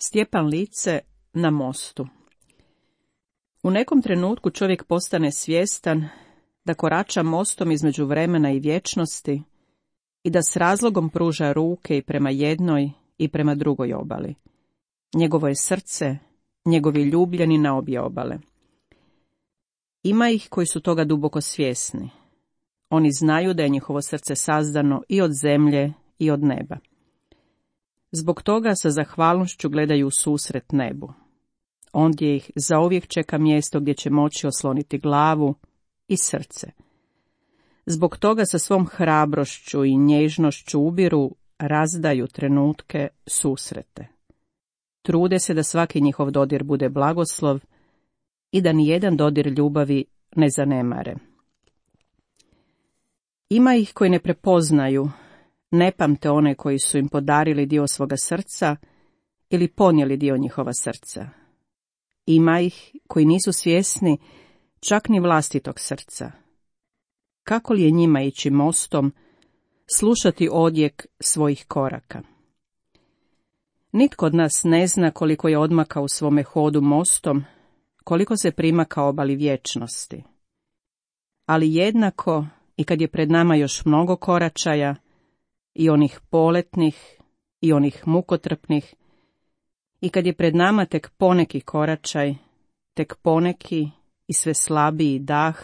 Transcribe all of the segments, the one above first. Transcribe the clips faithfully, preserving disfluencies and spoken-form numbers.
Stjepan Lice na mostu. U nekom trenutku čovjek postane svjestan da korača mostom između vremena i vječnosti i da s razlogom pruža ruke i prema jednoj i prema drugoj obali. Njegovo je srce, njegovi ljubljeni na obje obale. Ima ih koji su toga duboko svjesni. Oni znaju da je njihovo srce sazdano i od zemlje i od neba. Zbog toga sa zahvalnošću gledaju u susret nebu. Ondje ih zauvijek čeka mjesto gdje će moći osloniti glavu i srce. Zbog toga sa svom hrabrošću i nježnošću ubiru, razdaju trenutke, susrete. Trude se da svaki njihov dodir bude blagoslov i da nijedan dodir ljubavi ne zanemare. Ima ih koji ne prepoznaju, ne pamte one koji su im podarili dio svoga srca ili ponijeli dio njihova srca. Ima ih koji nisu svjesni čak ni vlastitog srca. Kako li je njima ići mostom, slušati odjek svojih koraka? Nitko od nas ne zna koliko je odmaka u svome hodu mostom, koliko se primaka obali vječnosti. Ali jednako i kad je pred nama još mnogo koračaja, i onih poletnih, i onih mukotrpnih, i kad je pred nama tek poneki koračaj, tek poneki i sve slabiji dah,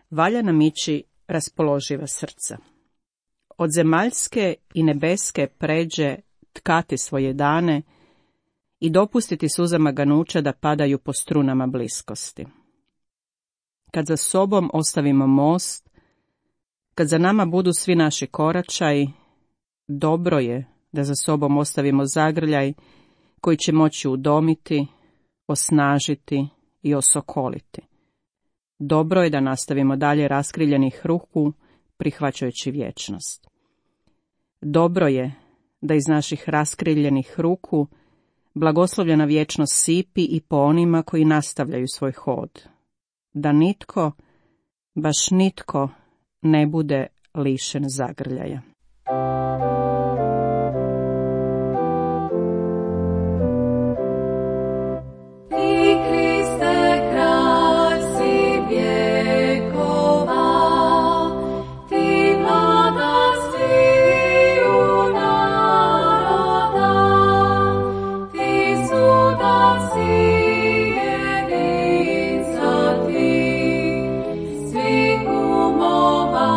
valja nam ići raspoloživa srca. Od zemaljske i nebeske pređe tkati svoje dane i dopustiti suzama ganuća da padaju po strunama bliskosti. Kad za sobom ostavimo most, kad za nama budu svi naši koračaji, dobro je da za sobom ostavimo zagrljaj koji će moći udomiti, osnažiti i osokoliti. Dobro je da nastavimo dalje raskriljenih ruku, prihvaćajući vječnost. Dobro je da iz naših raskriljenih ruku blagoslovljena vječnost sipi i po onima koji nastavljaju svoj hod. Da nitko, baš nitko, ne bude lišen zagrljaja. Svi umova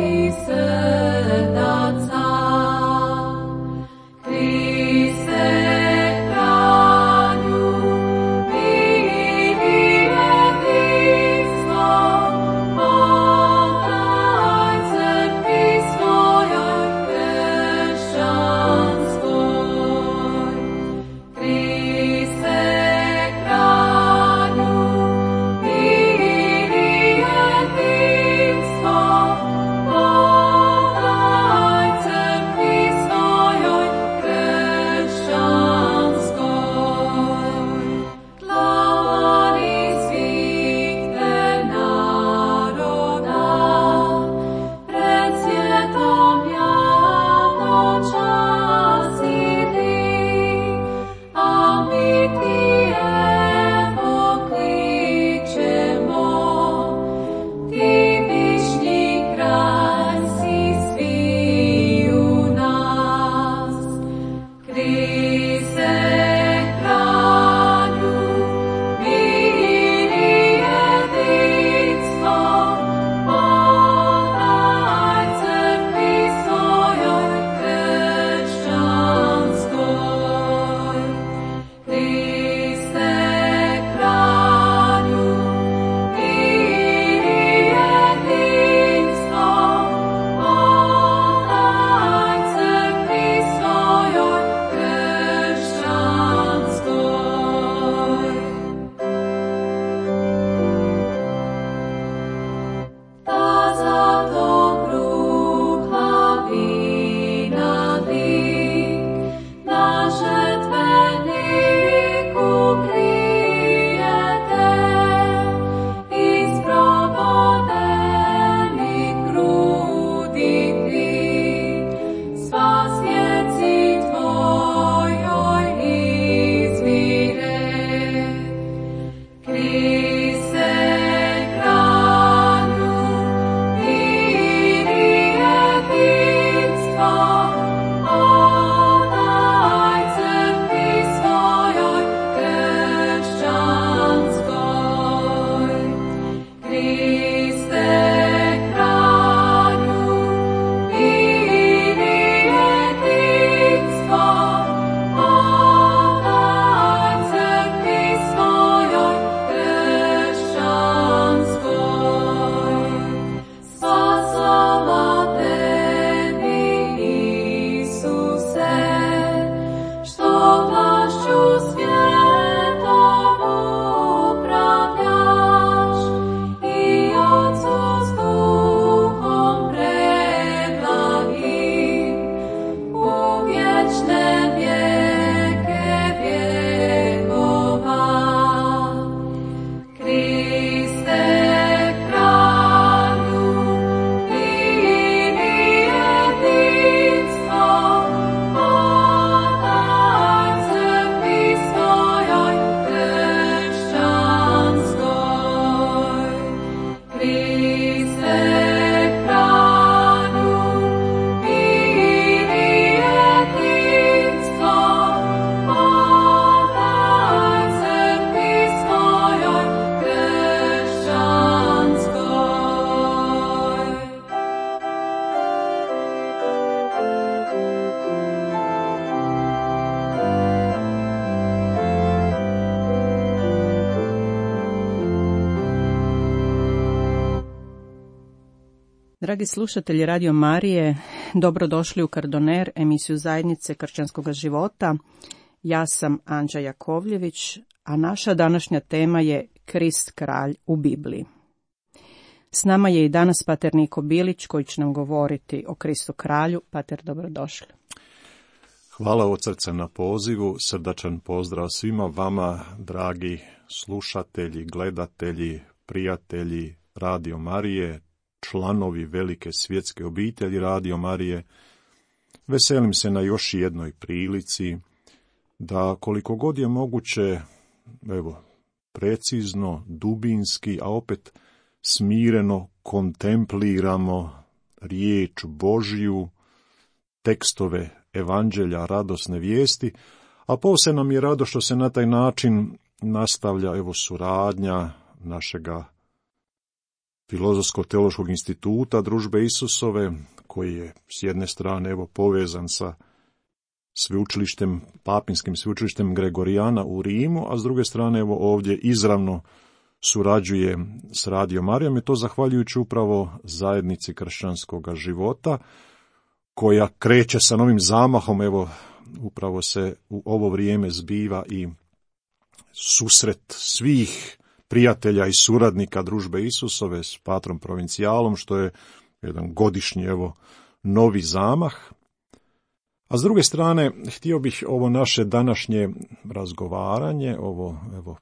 i srca. Dragi slušatelji Radio Marije, dobrodošli u Kardoner, emisiju Zajednice kršćanskog života. Ja sam Anđa Jakovljević, a naša današnja tema je Krist kralj u Bibliji. S nama je i danas pater Niko Bilić koji će nam govoriti o Kristu kralju. Pater, dobrodošli. Hvala od srca na pozivu, srdačan pozdrav svima vama, dragi slušatelji, gledatelji, prijatelji Radio Marije, članovi velike svjetske obitelji Radio Marije. Veselim se na još jednoj prilici da koliko god je moguće, evo, precizno, dubinski, a opet smireno kontempliramo riječ Božju, tekstove evanđelja, radosne vijesti, a posebno nam je rado što se na taj način nastavlja evo suradnja našega Filozofsko-teološkog instituta Družbe Isusove, koji je s jedne strane evo povezan sa sveučilištem, papinskim sveučilištem Gregorijana u Rimu, a s druge strane evo ovdje izravno surađuje s Radio Marijom, i to zahvaljujući upravo zajednici kršćanskog života, koja kreće sa novim zamahom. Evo, upravo se u ovo vrijeme zbiva i susret svih prijatelja i suradnika Družbe Isusove s patrom provincijalom, što je jedan godišnji evo novi zamah. A s druge strane, htio bih ovo naše današnje razgovaranje, ovo evo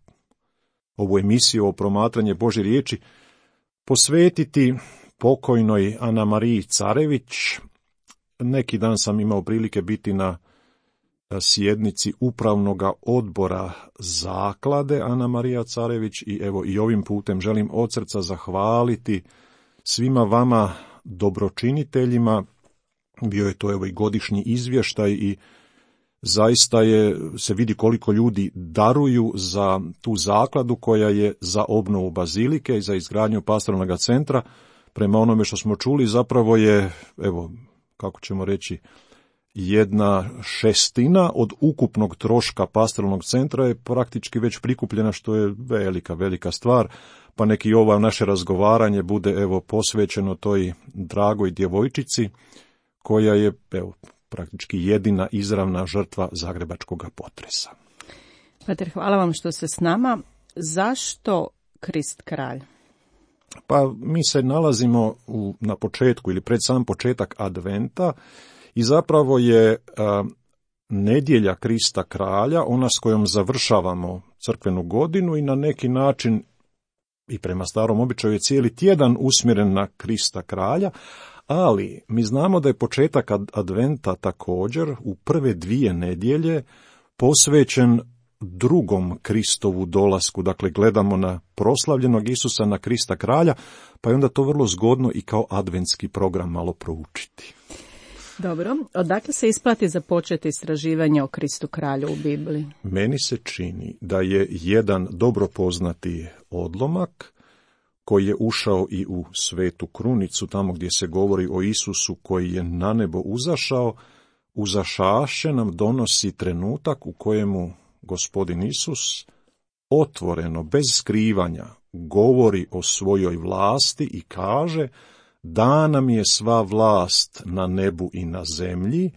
ovu emisiju o promatranje Božje riječi posvetiti pokojnoj Ana Mariji Carević. Neki dan sam imao prilike biti na sjednici upravnoga odbora zaklade Ana Marija Carević i evo i ovim putem želim od srca zahvaliti svima vama dobročiniteljima. Bio je to evo i godišnji izvještaj i zaista je, se vidi koliko ljudi daruju za tu zakladu koja je za obnovu bazilike i za izgradnju pastoralnog centra. Prema onome što smo čuli, zapravo je, evo, kako ćemo reći, jedna šestina od ukupnog troška pastoralnog centra je praktički već prikupljena, što je velika, velika stvar, pa neki ovo naše razgovaranje bude evo posvećeno toj dragoj djevojčici koja je evo praktički jedina izravna žrtva zagrebačkog potresa. Pater, hvala vam što ste s nama. Zašto Krist kralj? Pa mi se nalazimo u, na početku ili pred sam početak adventa i zapravo je a, nedjelja Krista kralja, ona s kojom završavamo crkvenu godinu i na neki način i prema starom običaju je cijeli tjedan usmjeren na Krista kralja, ali mi znamo da je početak adventa također u prve dvije nedjelje posvećen drugom Kristovu dolasku. Dakle, gledamo na proslavljenog Isusa, na Krista kralja, pa je onda to vrlo zgodno i kao adventski program malo proučiti. Dobro, odakle se isplati započeti istraživanje o Kristu kralju u Bibliji? Meni se čini da je jedan dobro poznati odlomak koji je ušao i u Svetu krunicu, tamo gdje se govori o Isusu koji je na nebo uzašao, uzašaše nam donosi trenutak u kojemu Gospodin Isus otvoreno, bez skrivanja, govori o svojoj vlasti i kaže: dana mi je sva vlast na nebu i na zemlji,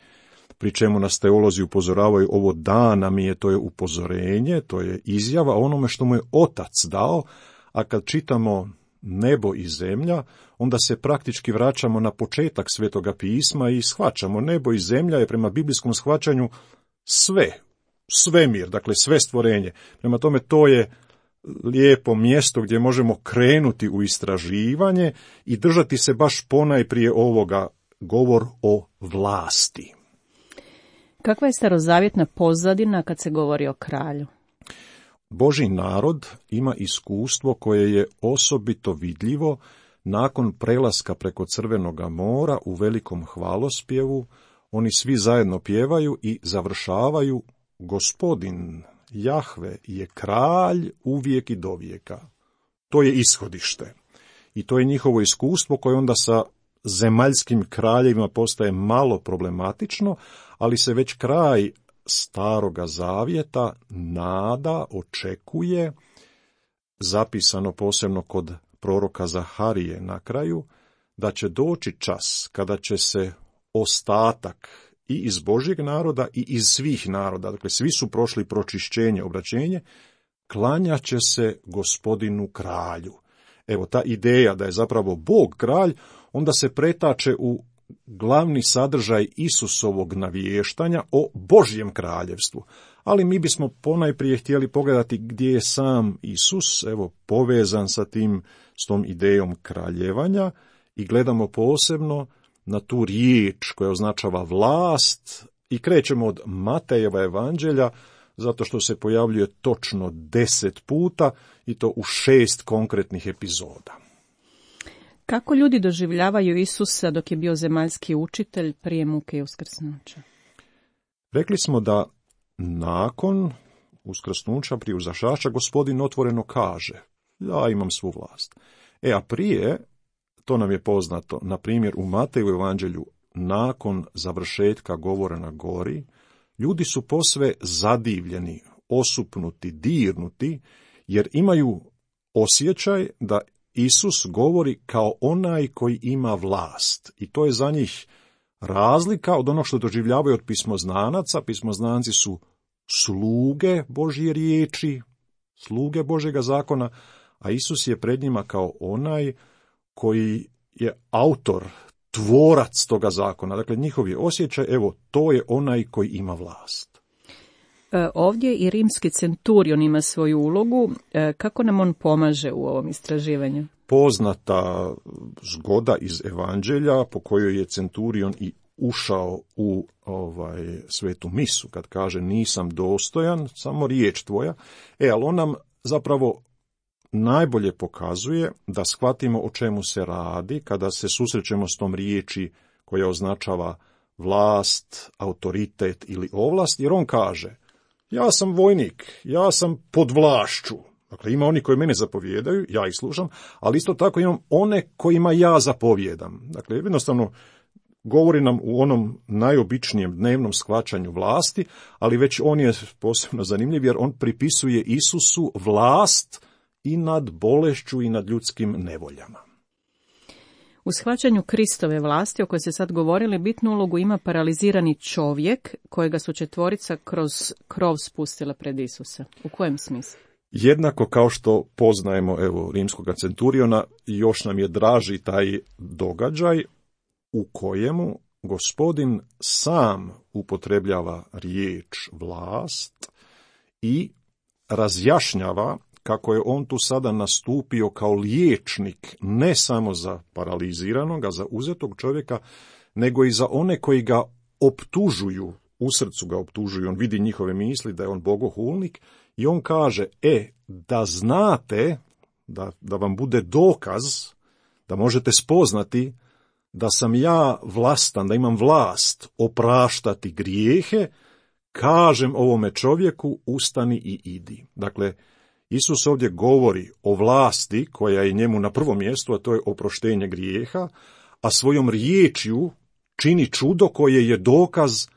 pri čemu nas teolozi upozoravaju, ovo dana mi je, to je upozorenje, to je izjava o onome što mu je Otac dao, a kad čitamo nebo i zemlja, onda se praktički vraćamo na početak Svetoga pisma i shvaćamo, nebo i zemlja je prema biblijskom shvaćanju sve, svemir, dakle sve stvorenje. Prema tome to je lijepo mjesto gdje možemo krenuti u istraživanje i držati se baš ponajprije ovoga, govor o vlasti. Kakva je starozavjetna pozadina kad se govori o kralju? Božji narod ima iskustvo koje je osobito vidljivo nakon prelaska preko Crvenoga mora u velikom hvalospjevu. Oni svi zajedno pjevaju i završavaju: Gospodin Jahve je kralj uvijek i dovijeka. To je ishodište. I to je njihovo iskustvo koje onda sa zemaljskim kraljevima postaje malo problematično, ali se već kraj Staroga zavjeta nada, očekuje, zapisano posebno kod proroka Zaharije na kraju, da će doći čas kada će se ostatak i iz Božjeg naroda i iz svih naroda, dakle svi su prošli pročišćenje, obraćenje, klanjat će se Gospodinu kralju. Evo, ta ideja da je zapravo Bog kralj, onda se pretače u glavni sadržaj Isusovog navještanja o Božjem kraljevstvu. Ali mi bismo ponajprije htjeli pogledati gdje je sam Isus, evo, povezan sa tim, s tom idejom kraljevanja, i gledamo posebno na tu riječ koja označava vlast i krećemo od Matejeva evanđelja, zato što se pojavljuje točno deset puta i to u šest konkretnih epizoda. Kako ljudi doživljavaju Isusa dok je bio zemaljski učitelj prije muke i uskrsnuća? Rekli smo da nakon uskrsnuća, prije uzašača, Gospodin otvoreno kaže: ja imam svu vlast. E, a prije, to nam je poznato, na primjer u Mateju evanđelju, nakon završetka govora na gori, ljudi su posve zadivljeni, osupnuti, dirnuti, jer imaju osjećaj da Isus govori kao onaj koji ima vlast. I to je za njih razlika od onog što doživljavaju od pismoznanaca. Pismoznanci su sluge Božje riječi, sluge Božjega zakona, a Isus je pred njima kao onaj koji je autor, tvorac toga zakona. Dakle, njihov je osjećaj, evo, to je onaj koji ima vlast. E, ovdje i rimski centurion ima svoju ulogu. E, kako nam on pomaže u ovom istraživanju? Poznata zgoda iz evanđelja po kojoj je centurion i ušao u ovaj svetu misu, kad kaže nisam dostojan, samo riječ tvoja. E, ali on nam zapravo najbolje pokazuje da shvatimo o čemu se radi kada se susrećemo s tom riječi koja označava vlast, autoritet ili ovlast, jer on kaže: ja sam vojnik, ja sam pod vlašću. Dakle, ima oni koji mene zapovjedaju, ja ih slušam, ali isto tako imam one kojima ja zapovjedam. Dakle, jednostavno govori nam u onom najobičnijem dnevnom shvaćanju vlasti, ali već on je posebno zanimljiv jer on pripisuje Isusu vlast i nad bolešću i nad ljudskim nevoljama. U shvaćanju Kristove vlasti, o kojoj se sad govorili, bitnu ulogu ima paralizirani čovjek, kojega su četvorica kroz krov spustila pred Isusa. U kojem smislu? Jednako kao što poznajemo, evo, rimskog centuriona, još nam je draži taj događaj u kojemu Gospodin sam upotrebljava riječ vlast i razjašnjava kako je on tu sada nastupio kao liječnik ne samo za paraliziranog, za uzetog čovjeka, nego i za one koji ga optužuju, u srcu ga optužuju, on vidi njihove misli da je on bogohulnik i on kaže: e, da znate, da, da vam bude dokaz, da možete spoznati da sam ja vlastan, da imam vlast opraštati grijehe, kažem ovome čovjeku: ustani i idi. Dakle, Isus ovdje govori o vlasti koja je njemu na prvom mjestu, a to je oproštenje grijeha, a svojom riječju čini čudo koje je dokaz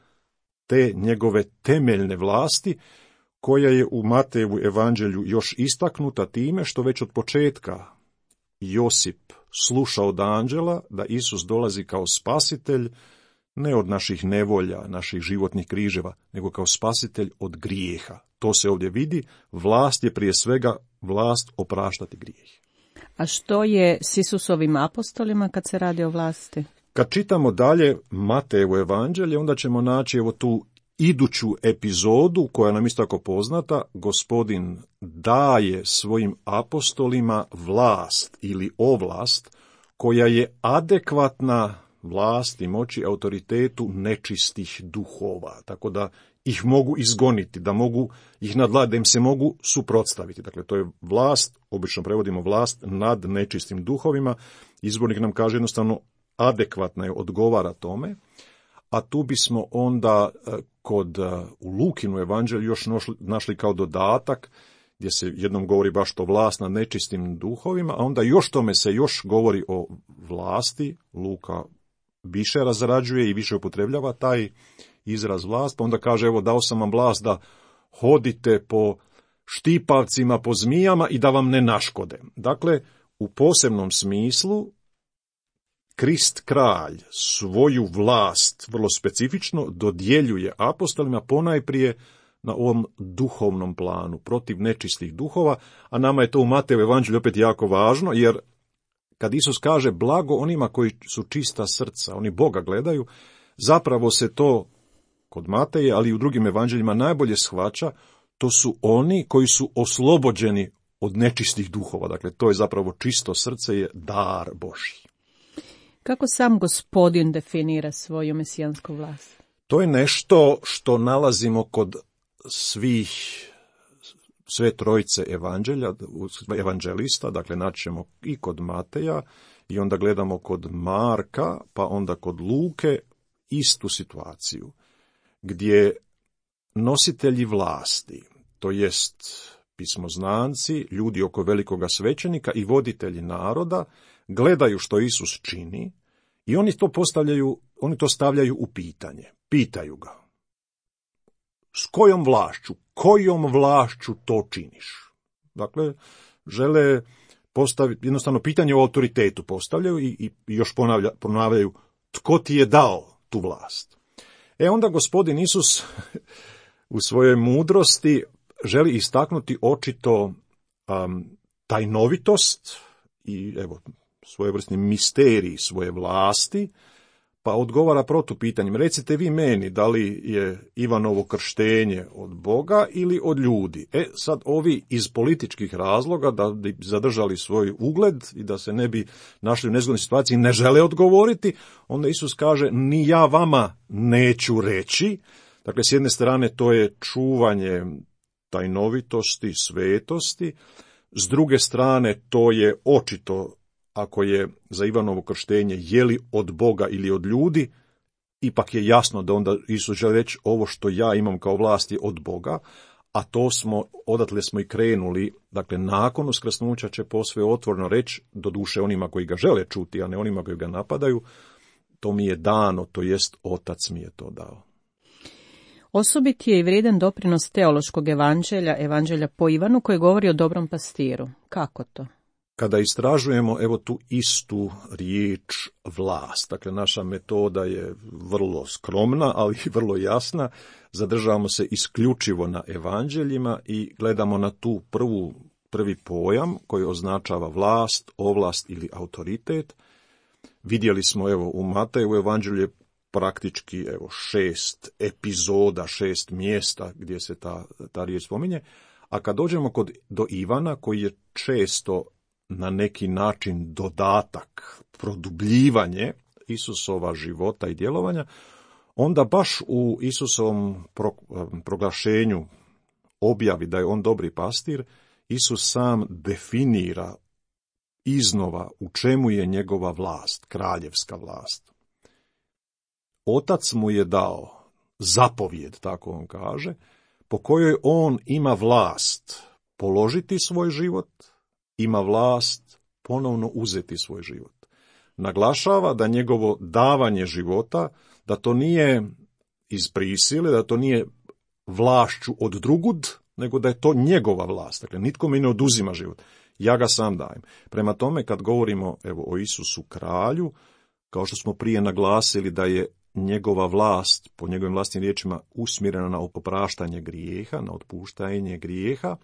te njegove temeljne vlasti, koja je u Matejevu evanđelju još istaknuta time što već od početka Josip sluša od anđela da Isus dolazi kao spasitelj, ne od naših nevolja, naših životnih križeva, nego kao spasitelj od grijeha. To se ovdje vidi, vlast je prije svega vlast opraštati grijeh. A što je s Isusovim apostolima kad se radi o vlasti? Kad čitamo dalje Matejevo evanđelje, onda ćemo naći evo tu iduću epizodu, koja nam isto tako poznata. Gospodin daje svojim apostolima vlast ili ovlast koja je adekvatna vlasti, moći, autoritetu nečistih duhova, tako da ih mogu izgoniti, da mogu ih nadvladati, da im se mogu suprotstaviti. Dakle, to je vlast, obično prevodimo vlast nad nečistim duhovima. Izbornik nam kaže jednostavno adekvatna je, odgovara tome, a tu bismo onda kod u Lukinu evanđelju još našli kao dodatak, gdje se jednom govori baš to vlast nad nečistim duhovima, a onda još tome se još govori o vlasti. Luka više razrađuje i više upotrebljava taj izraz vlast, pa onda kaže: evo, dao sam vam vlast da hodite po štipavcima, po zmijama i da vam ne naškode. Dakle, u posebnom smislu Krist kralj svoju vlast vrlo specifično dodjeljuje apostolima ponajprije na ovom duhovnom planu, protiv nečistih duhova, a nama je to u Mateju evanđelju opet jako važno, jer kad Isus kaže blago onima koji su čista srca, oni Boga gledaju, zapravo se to kod Mateje, ali i u drugim evanđeljima najbolje shvaća, to su oni koji su oslobođeni od nečistih duhova. Dakle, to je zapravo čisto srce, je dar Božji. Kako sam Gospodin definira svoju mesijansku vlast? To je nešto što nalazimo kod svih, sve trojice evanđelja, evanđelista, dakle naćemo i kod Mateja, i onda gledamo kod Marka, pa onda kod Luke, istu situaciju, gdje nositelji vlasti, to jest pismoznanci, ljudi oko velikoga svećenika i voditelji naroda, gledaju što Isus čini i oni to postavljaju, oni to stavljaju u pitanje. Pitaju ga: s kojom vlašću, kojom vlašću to činiš? Dakle, žele postaviti, jednostavno pitanje o autoritetu postavljaju i, i još ponavlja, ponavljaju tko ti je dao tu vlast. E onda Gospodin Isus u svojoj mudrosti želi istaknuti očito um, tajnovitost i evo svojevrsni misterij svoje vlasti, pa odgovara protupitanjem: recite vi meni da li je Ivanovo krštenje od Boga ili od ljudi. E sad ovi iz političkih razloga, da bi zadržali svoj ugled i da se ne bi našli u nezgodnoj situaciji, ne žele odgovoriti, onda Isus kaže: ni ja vama neću reći. Dakle, s jedne strane to je čuvanje tajnovitosti, svetosti, s druge strane to je očito, ako je za Ivanovo krštenje je li od Boga ili od ljudi, ipak je jasno da onda Isus želi reći: ovo što ja imam kao vlast je od Boga, a to smo, odatle smo i krenuli, dakle nakon uskrsnuća će posve otvoreno reći, doduše onima koji ga žele čuti, a ne onima koji ga napadaju: to mi je dano, to jest Otac mi je to dao. Osobit je i vrijedan doprinos teološkog evanđelja, evanđelja po Ivanu, koji govori o dobrom pastiru. Kako to? Kada istražujemo evo tu istu riječ vlast, dakle naša metoda je vrlo skromna, ali i vrlo jasna, zadržavamo se isključivo na evanđeljima i gledamo na tu prvu, prvi pojam koji označava vlast, ovlast ili autoritet. Vidjeli smo evo u Mateju evanđelju je praktički evo šest epizoda, šest mjesta gdje se ta, ta riječ spominje, a kad dođemo kod, do Ivana, koji je često na neki način dodatak, produbljivanje Isusova života i djelovanja, onda baš u Isusovom pro, proglašenju, objavi da je on dobri pastir, Isus sam definira iznova u čemu je njegova vlast, kraljevska vlast. Otac mu je dao zapovijed, tako on kaže, po kojoj on ima vlast položiti svoj život, ima vlast ponovno uzeti svoj život. Naglašava da njegovo davanje života, da to nije iz prisile, da to nije vlašću od drugud, nego da je to njegova vlast. Dakle, nitko mi ne oduzima život, ja ga sam dajem. Prema tome, kad govorimo evo o Isusu kralju, kao što smo prije naglasili da je njegova vlast, po njegovim vlastnim riječima, usmjerena na opraštanje grijeha, na otpuštanje grijeha,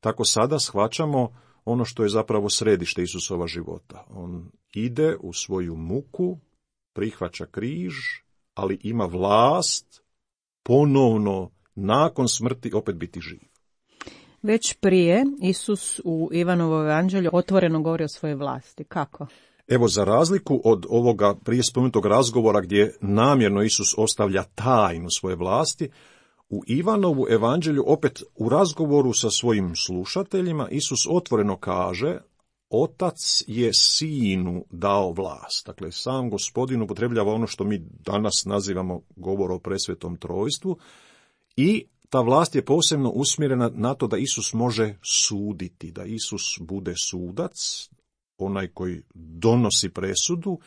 tako sada shvaćamo ono što je zapravo središte Isusova života. On ide u svoju muku, prihvaća križ, ali ima vlast ponovno nakon smrti opet biti živ. Već prije Isus u Ivanovom evanđelju otvoreno govori o svojoj vlasti. Kako? Evo, za razliku od ovoga prije spomenutog razgovora gdje namjerno Isus ostavlja tajnu svoje vlasti, u Ivanovu evanđelju opet u razgovoru sa svojim slušateljima Isus otvoreno kaže: Otac je Sinu dao vlast. Dakle, sam Gospodin upotrebljava ono što mi danas nazivamo govor o presvetom trojstvu i ta vlast je posebno usmjerena na to da Isus može suditi, da Isus bude sudac, onaj koji donosi presudu.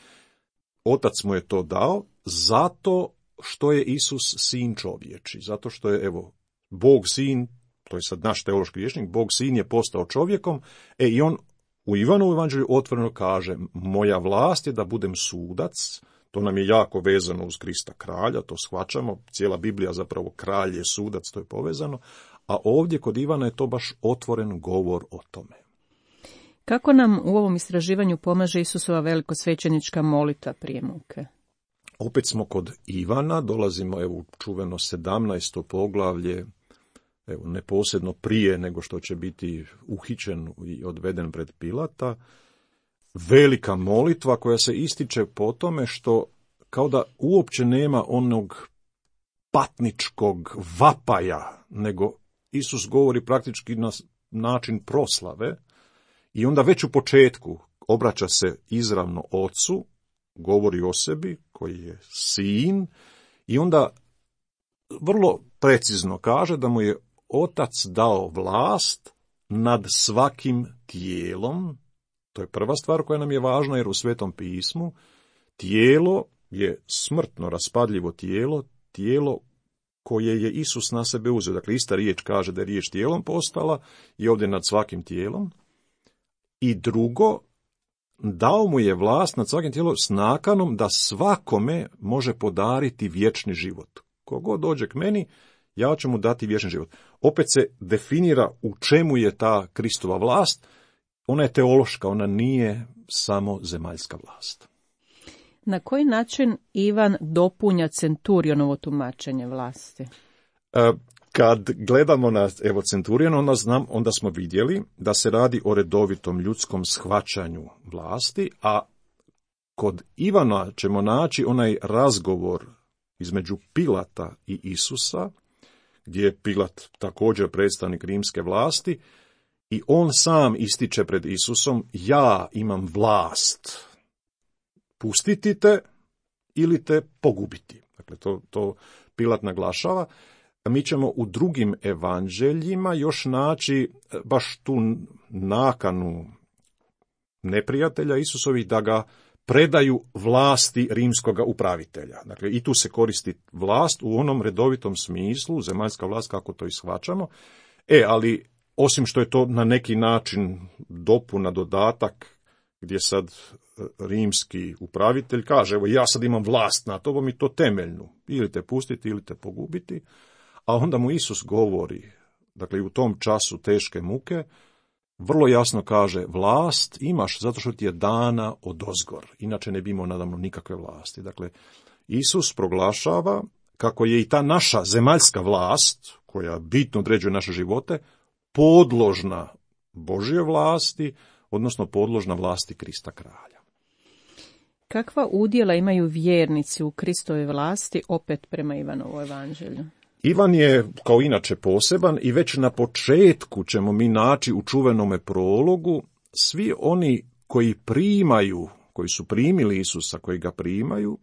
Otac mu je to dao zato što je Isus sin čovječi, zato što je, evo, Bog sin, to je sad naš teološki rječnik, Bog sin je postao čovjekom, e i on u Ivanovu evanđelju otvoreno kaže, moja vlast je da budem sudac, to nam je jako vezano uz Krista kralja, to shvaćamo, cijela Biblija zapravo kralj je sudac, to je povezano, a ovdje kod Ivana je to baš otvoren govor o tome. Kako nam u ovom istraživanju pomaže Isusova velikosvećenička molitva prije muke? Opet smo kod Ivana, dolazimo evo u čuveno sedamnaesto poglavlje, evo neposredno prije nego što će biti uhićen i odveden pred Pilata. Velika molitva koja se ističe po tome što kao da uopće nema onog patničkog vapaja, nego Isus govori praktički na način proslave i onda već u početku obraća se izravno Ocu, govori o sebi koji je sin i onda vrlo precizno kaže da mu je Otac dao vlast nad svakim tijelom. To je prva stvar koja nam je važna jer u Svetom pismu tijelo je smrtno, raspadljivo tijelo, tijelo koje je Isus na sebe uzeo. Dakle, ista riječ kaže da je riječ tijelom postala i ovdje nad svakim tijelom. I drugo, dao mu je vlast nad svakim tijelom s nakanom da svakome može podariti vječni život. Kogod dođe k meni, ja ću mu dati vječni život. Opet se definira u čemu je ta Kristova vlast. Ona je teološka, ona nije samo zemaljska vlast. Na koji način Ivan dopunja Centurionovo tumačenje vlasti? E, kad gledamo na evo Centurion, onda, znam, onda smo vidjeli da se radi o redovitom ljudskom shvaćanju vlasti, a kod Ivana ćemo naći onaj razgovor između Pilata i Isusa, gdje je Pilat također predstavnik rimske vlasti, i on sam ističe pred Isusom, ja imam vlast pustiti te ili te pogubiti. Dakle, to, to Pilat naglašava. Mi ćemo u drugim evanđeljima još naći baš tu nakanu neprijatelja Isusovih da ga predaju vlasti rimskoga upravitelja. Dakle, i tu se koristi vlast u onom redovitom smislu, zemaljska vlast kako to ishvaćamo. E, ali osim što je to na neki način dopuna, dodatak, gdje sad rimski upravitelj kaže, evo ja sad imam vlast nad tobom i to temeljnu, ili te pustiti ili te pogubiti, a onda mu Isus govori, dakle u tom času teške muke, vrlo jasno kaže, vlast imaš zato što ti je dana odozgor, inače ne bi imao nadamno nikakve vlasti. Dakle, Isus proglašava kako je i ta naša zemaljska vlast, koja bitno određuje naše živote, podložna Božje vlasti, odnosno podložna vlasti Krista kralja. Kakva udjela imaju vjernici u Kristove vlasti, opet prema Ivanovu evanđelju? Ivan je, kao inače, poseban i već na početku ćemo mi naći u čuvenome prologu svi oni koji primaju, koji su primili Isusa, koji ga primaju,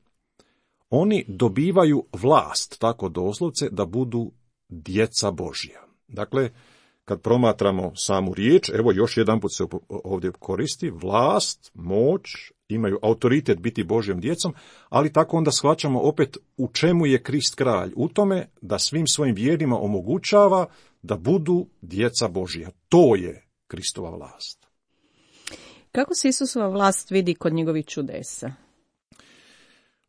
oni dobivaju vlast, tako doslovce, da budu djeca Božja. Dakle, kad promatramo samu riječ, evo još jedan put se ovdje koristi, vlast, moć, imaju autoritet biti Božjom djecom, ali tako onda shvaćamo opet u čemu je Krist kralj. U tome da svim svojim vjernima omogućava da budu djeca Božja. To je Kristova vlast. Kako se Isusova vlast vidi kod njegovih čudesa?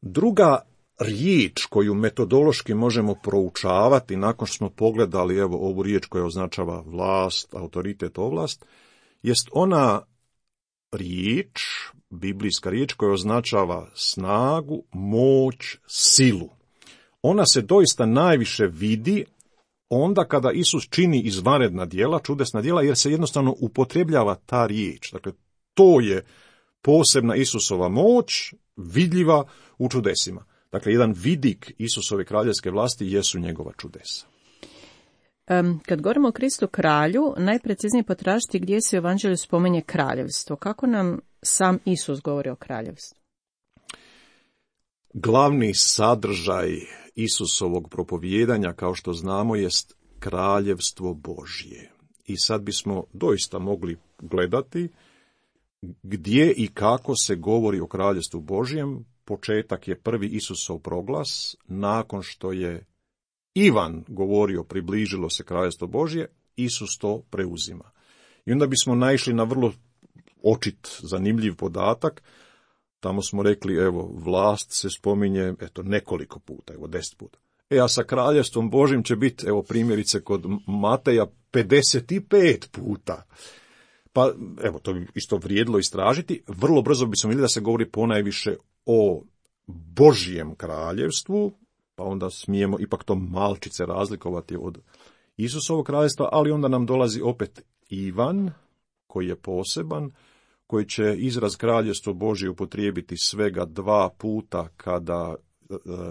Druga riječ koju metodološki možemo proučavati nakon što smo pogledali evo ovu riječ koja označava vlast, autoritet, ovlast, jest ona riječ, biblijska riječ koja označava snagu, moć, silu. Ona se doista najviše vidi onda kada Isus čini izvanredna djela, čudesna djela, jer se jednostavno upotrebljava ta riječ. Dakle, to je posebna Isusova moć, vidljiva u čudesima. Dakle, jedan vidik Isusove kraljevske vlasti jesu njegova čudesa. Um, kad govorimo o Kristu kralju, najpreciznije potražiti gdje se u evanđelju spominje kraljevstvo. Kako nam sam Isus govori o kraljevstvu? Glavni sadržaj Isusovog propovijedanja, kao što znamo, jest kraljevstvo Božje. I sad bismo doista mogli gledati gdje i kako se govori o kraljevstvu Božjem. Početak je prvi Isusov proglas, nakon što je Ivan govorio približilo se kraljevstvo Božje, Isus to preuzima. I onda bismo naišli na vrlo očit, zanimljiv podatak. Tamo smo rekli, evo, vlast se spominje, eto, nekoliko puta, evo, deset puta. E, a sa kraljevstvom Božim će biti, evo, primjerice kod Mateja pedeset pet puta. Pa, evo, to bi isto vrijedilo istražiti. Vrlo brzo bismo vidjeli da se govori ponajviše o Božjem kraljevstvu, pa onda smijemo ipak to malčice razlikovati od Isusovog kraljevstva, ali onda nam dolazi opet Ivan, koji je poseban, koji će izraz kraljevstvo Božje upotrijebiti svega dva puta kada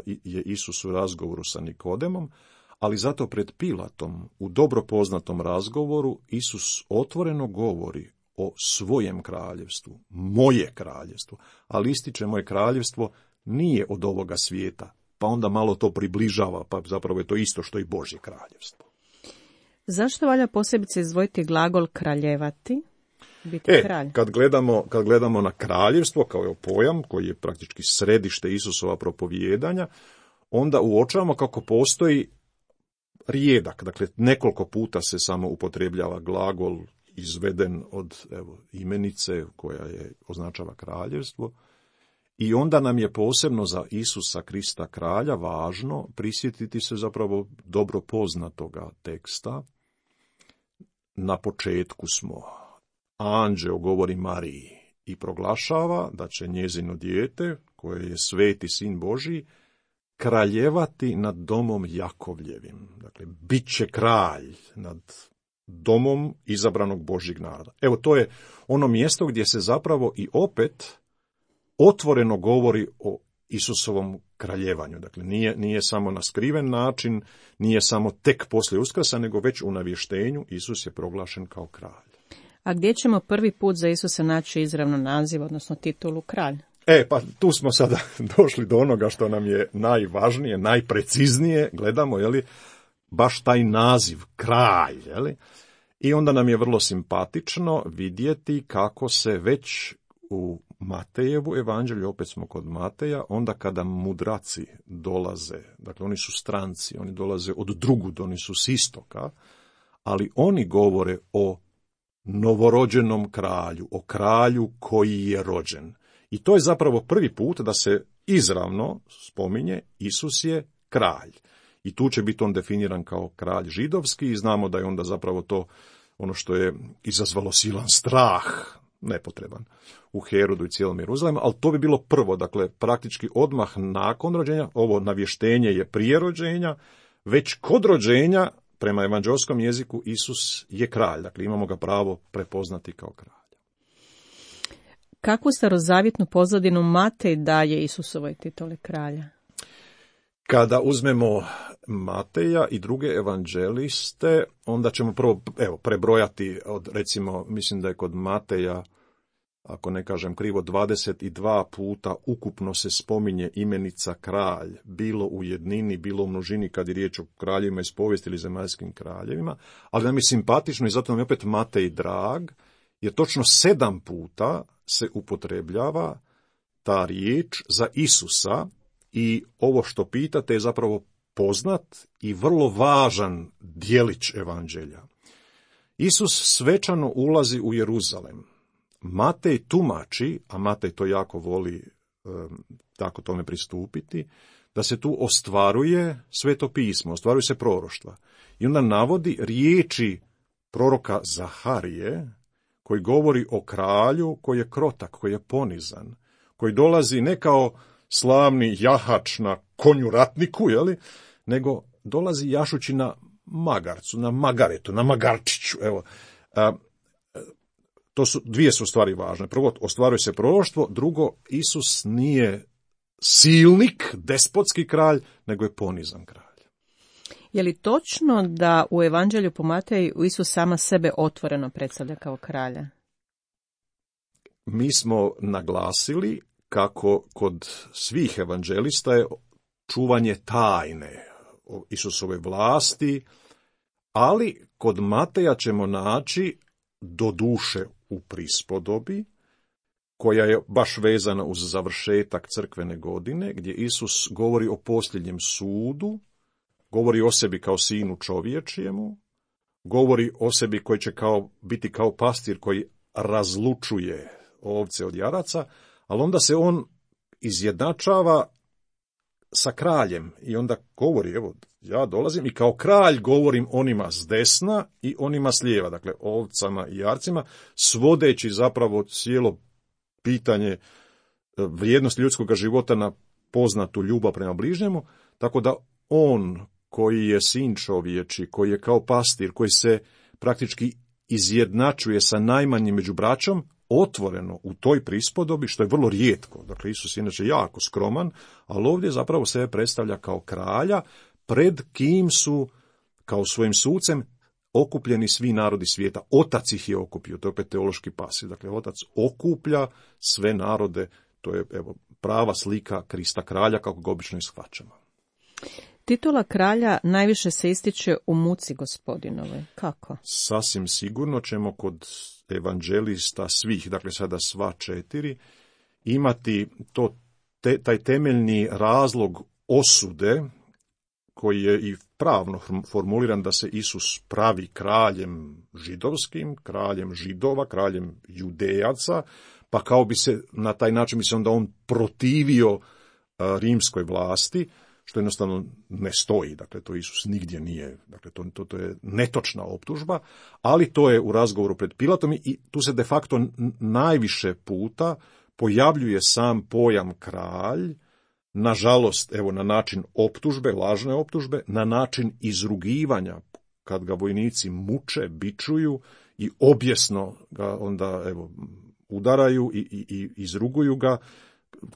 je Isus u razgovoru sa Nikodemom, ali zato pred Pilatom, u dobro poznatom razgovoru, Isus otvoreno govori o svojem kraljevstvu, moje kraljevstvo, ali ističe moje kraljevstvo nije od ovoga svijeta, pa onda malo to približava, pa zapravo je to isto što i Božje kraljevstvo. Zašto valja posebice izdvojiti glagol kraljevati? Biti e, kralj. Kad gledamo, kad gledamo na kraljevstvo kao pojam, koji je praktički središte Isusova propovijedanja, onda uočavamo kako postoji rijedak, dakle nekoliko puta se samo upotrebljava glagol izveden od evo, imenice koja je označava kraljevstvo. I onda nam je posebno za Isusa Krista kralja važno prisjetiti se zapravo dobro poznatoga teksta. Na početku smo, anđeo govori Mariji i proglašava da će njezino dijete, koje je sveti sin Božji, kraljevati nad domom Jakovljevim. Dakle, bit će kralj nad domom izabranog Božjeg naroda. Evo, to je ono mjesto gdje se zapravo i opet otvoreno govori o Isusovom kraljevanju. Dakle, nije, nije samo na skriven način, nije samo tek poslije Uskrsa, nego već u navještenju Isus je proglašen kao kralj. A gdje ćemo prvi put za Isusa naći izravno naziv, odnosno titulu kralj? E, pa tu smo sada došli do onoga što nam je najvažnije, najpreciznije, gledamo, je li, baš taj naziv, kralj, je li? I onda nam je vrlo simpatično vidjeti kako se već u Matejevu evanđelju, opet smo kod Mateja, onda kada mudraci dolaze, dakle oni su stranci, oni dolaze od drugud, oni su s istoka, ali oni govore o novorođenom kralju, o kralju koji je rođen. I to je zapravo prvi put da se izravno spominje Isus je kralj. I tu će biti on definiran kao kralj židovski i znamo da je onda zapravo to ono što je izazvalo silan strah, nepotreban, u Herodu i cijelom Jeruzalemu, ali to bi bilo prvo, dakle praktički odmah nakon rođenja, ovo navještenje je prije rođenja, već kod rođenja, prema evanđelskom jeziku, Isus je kralj, dakle imamo ga pravo prepoznati kao kralj. Kakvu starozavjetnu pozadinu Matej daje Isusovoj tituli kralja? Kada uzmemo Mateja i druge evanđeliste, onda ćemo prvo evo, prebrojati, od, recimo, mislim da je kod Mateja, ako ne kažem krivo, dvadeset dva puta ukupno se spominje imenica kralj, bilo u jednini, bilo u množini kad je riječ o kraljevima iz povijesti ili zemaljskim kraljevima, ali nam je simpatično i zato nam je opet Matej drag, jer točno sedam puta se upotrebljava ta riječ za Isusa i ovo što pitate je zapravo poznat i vrlo važan dijelić evanđelja. Isus svečano ulazi u Jeruzalem. Matej tumači, a Matej to jako voli um, tako tome pristupiti, da se tu ostvaruje sveto pismo, ostvaruju se proroštva. I onda navodi riječi proroka Zaharije, koji govori o kralju koji je krotak, koji je ponizan, koji dolazi ne kao slavni jahač na konju ratniku, jeli, nego dolazi jašući na magarcu, na magaretu, na magarčiću. Evo, a, to su, dvije su stvari važne. Prvo, ostvaruje se proroštvo, drugo, Isus nije silnik, despotski kralj, nego je ponizan kralj. Je li točno da u evanđelju po Mateju Isus sama sebe otvoreno predstavlja kao kralja? Mi smo naglasili kako kod svih evanđelista je čuvanje tajne o Isusove vlasti, ali kod Mateja ćemo naći do duše u prispodobi, koja je baš vezana uz završetak crkvene godine, gdje Isus govori o posljednjem sudu, govori o sebi kao sinu čovječijemu, govori o sebi koji će kao, biti kao pastir koji razlučuje ovce od jaraca, ali onda se on izjednačava sa kraljem i onda govori, evo, ja dolazim i kao kralj govorim onima s desna i onima s lijeva, dakle ovcama i jarcima, svodeći zapravo cijelo pitanje vrijednosti ljudskog života na poznatu ljubav prema bližnjemu, tako da on koji je sin čovječi, koji je kao pastir, koji se praktički izjednačuje sa najmanjim među braćom, otvoreno u toj prispodobi, što je vrlo rijetko. Dakle, Isus je inače jako skroman, ali ovdje zapravo sebe predstavlja kao kralja, pred kim su, kao svojim sucem, okupljeni svi narodi svijeta. Otac ih je okupio, to je opet teološki pasiv. Dakle, otac okuplja sve narode, to je evo, prava slika Krista kralja, kako ga obično ishvaćamo. Titula kralja najviše se ističe u muci Gospodinovoj. Kako? Sasvim sigurno ćemo kod evanđelista svih, dakle sada sva četiri, imati to, te, taj temeljni razlog osude, koji je i pravno formuliran da se Isus pravi kraljem židovskim, kraljem židova, kraljem judejaca, pa kao bi se na taj način bi se onda on protivio a, rimskoj vlasti, što jednostavno ne stoji, dakle to Isus nigdje nije, dakle to, to, to je netočna optužba, ali to je u razgovoru pred Pilatom i tu se de facto najviše puta pojavljuje sam pojam kralj, nažalost, evo na način optužbe, lažne optužbe, na način izrugivanja, kad ga vojnici muče, bičuju i objesno ga onda evo udaraju i, i, i izruguju ga,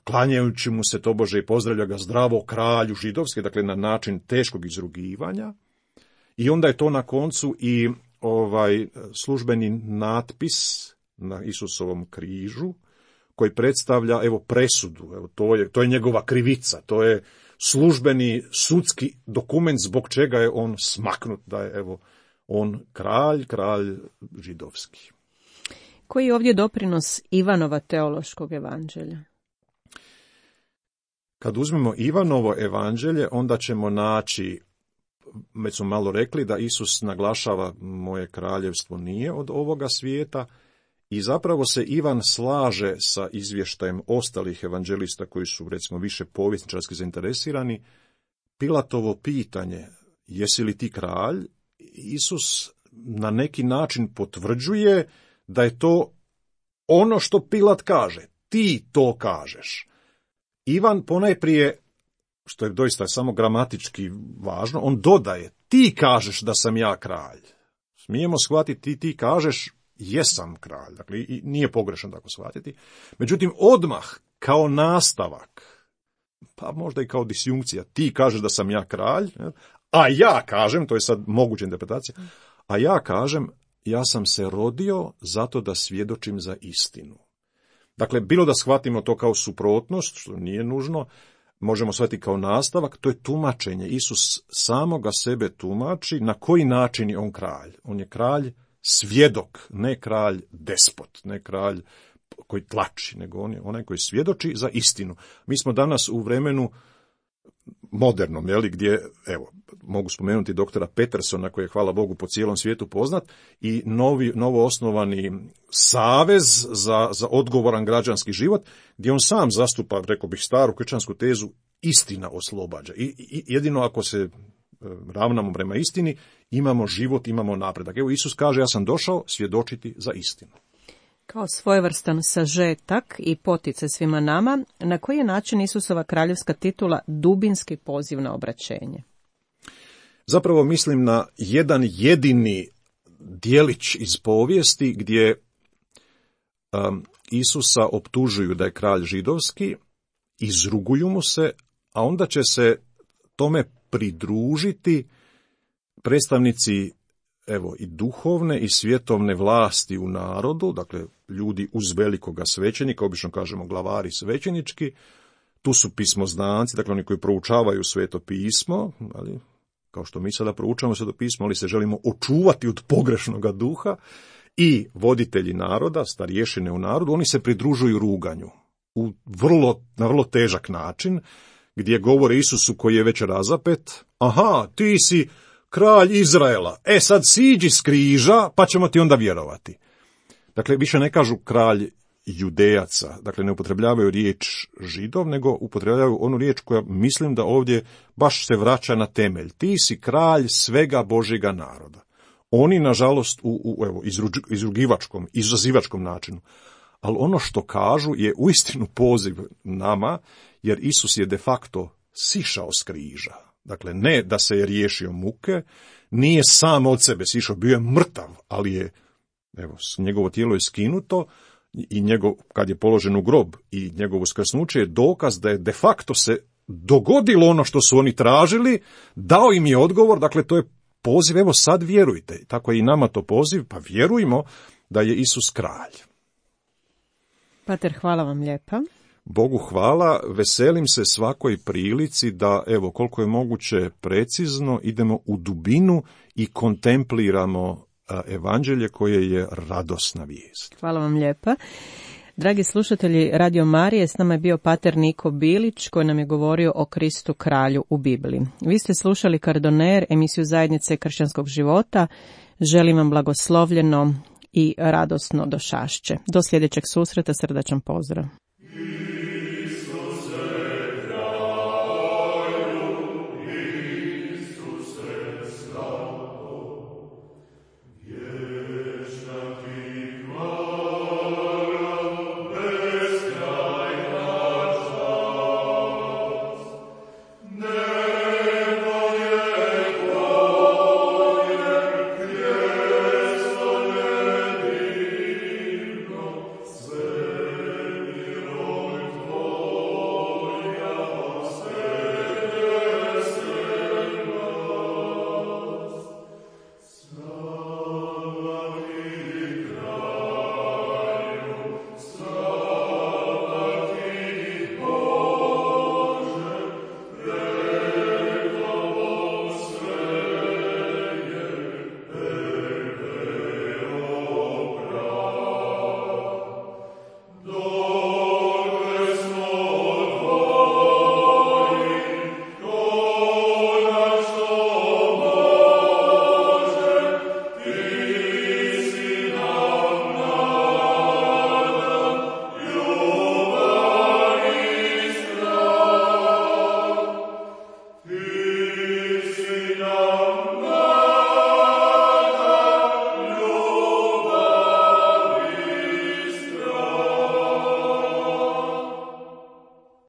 klanjajući mu se tobože i pozdravlja ga zdravo kralju židovske, dakle na način teškog izrugivanja. I onda je to na koncu i ovaj službeni natpis na Isusovom križu, koji predstavlja evo presudu, evo to je to je njegova krivica, to je službeni sudski dokument zbog čega je on smaknut, da je evo on kralj, kralj židovski. Koji je ovdje doprinos Ivanova teološkog evanđelja? Kad uzmemo Ivanovo evanđelje, onda ćemo naći, već smo malo rekli, da Isus naglašava moje kraljevstvo nije od ovoga svijeta i zapravo se Ivan slaže sa izvještajem ostalih evanđelista koji su, recimo, više povjesničarski zainteresirani. Pilatovo pitanje, jesi li ti kralj? Isus na neki način potvrđuje da je to ono što Pilat kaže. Ti to kažeš. Ivan ponajprije, što je doista samo gramatički važno, on dodaje, ti kažeš da sam ja kralj. Smijemo shvatiti, ti, ti kažeš, jesam kralj. Dakle, i nije pogrešno tako shvatiti. Međutim, odmah, kao nastavak, pa možda i kao disjunkcija, ti kažeš da sam ja kralj, a ja kažem, to je sad moguća interpretacija, a ja kažem, ja sam se rodio zato da svjedočim za istinu. Dakle, bilo da shvatimo to kao suprotnost, što nije nužno, možemo shvatiti kao nastavak, to je tumačenje. Isus samoga sebe tumači na koji način je on kralj. On je kralj svjedok, ne kralj despot, ne kralj koji tlači, nego on je onaj koji svjedoči za istinu. Mi smo danas u vremenu modernom, jeli, gdje, evo, mogu spomenuti doktora Petersona, koji je, hvala Bogu, po cijelom svijetu poznat, i novi, novo osnovani savez za, za odgovoran građanski život, gdje on sam zastupa, rekao bih, staru kršćansku tezu, istina oslobađa. I, i jedino ako se ravnamo prema istini, imamo život, imamo napredak. Evo, Isus kaže, ja sam došao svjedočiti za istinu. Kao svojevrstan sažetak i potice svima nama, na koji je način Isusova kraljevska titula dubinski poziv na obraćenje? Zapravo mislim na jedan jedini dijelić iz povijesti gdje um, Isusa optužuju da je kralj židovski, izruguju mu se, a onda će se tome pridružiti predstavnici evo i duhovne i svjetovne vlasti u narodu, dakle ljudi uz velikoga svećenika, obično kažemo glavari svećenički, tu su pismoznanci, dakle oni koji proučavaju sveto pismo, ali, kao što mi sada proučavamo sveto pismo, ali se želimo očuvati od pogrešnoga duha, i voditelji naroda, starješine u narodu, oni se pridružuju ruganju u vrlo, na vrlo težak način, gdje govore Isusu koji je već razapet, aha, ti si kralj Izraela, e sad siđi s križa, pa ćemo ti onda vjerovati. Dakle, više ne kažu kralj Judejaca, dakle ne upotrebljavaju riječ Židov, nego upotrebljavaju onu riječ koja mislim da ovdje baš se vraća na temelj. Ti si kralj svega Božjega naroda. Oni, nažalost, u, u evo, izrugivačkom, izazivačkom načinu. Ali ono što kažu je uistinu poziv nama, jer Isus je de facto sišao s križa. Dakle, ne da se je riješio muke, nije sam od sebe sišao, bio je mrtav, ali je, evo, njegovo tijelo je skinuto i njegov, kad je položen u grob i njegovo uskrsnuće je dokaz da je de facto se dogodilo ono što su oni tražili, dao im je odgovor, dakle to je poziv, evo sad vjerujte, tako je i nama to poziv, pa vjerujmo da je Isus kralj. Pater, hvala vam lijepa. Bogu hvala, veselim se svakoj prilici da, evo, koliko je moguće precizno, idemo u dubinu i kontempliramo evanđelje koje je radosna vijest. Hvala vam lijepa. Dragi slušatelji Radio Marije, s nama je bio pater Niko Bilić koji nam je govorio o Kristu kralju u Bibliji. Vi ste slušali Kardoner, emisiju Zajednice kršćanskog života. Želim vam blagoslovljeno i radosno došašće. Do sljedećeg susreta, srdačan pozdrav.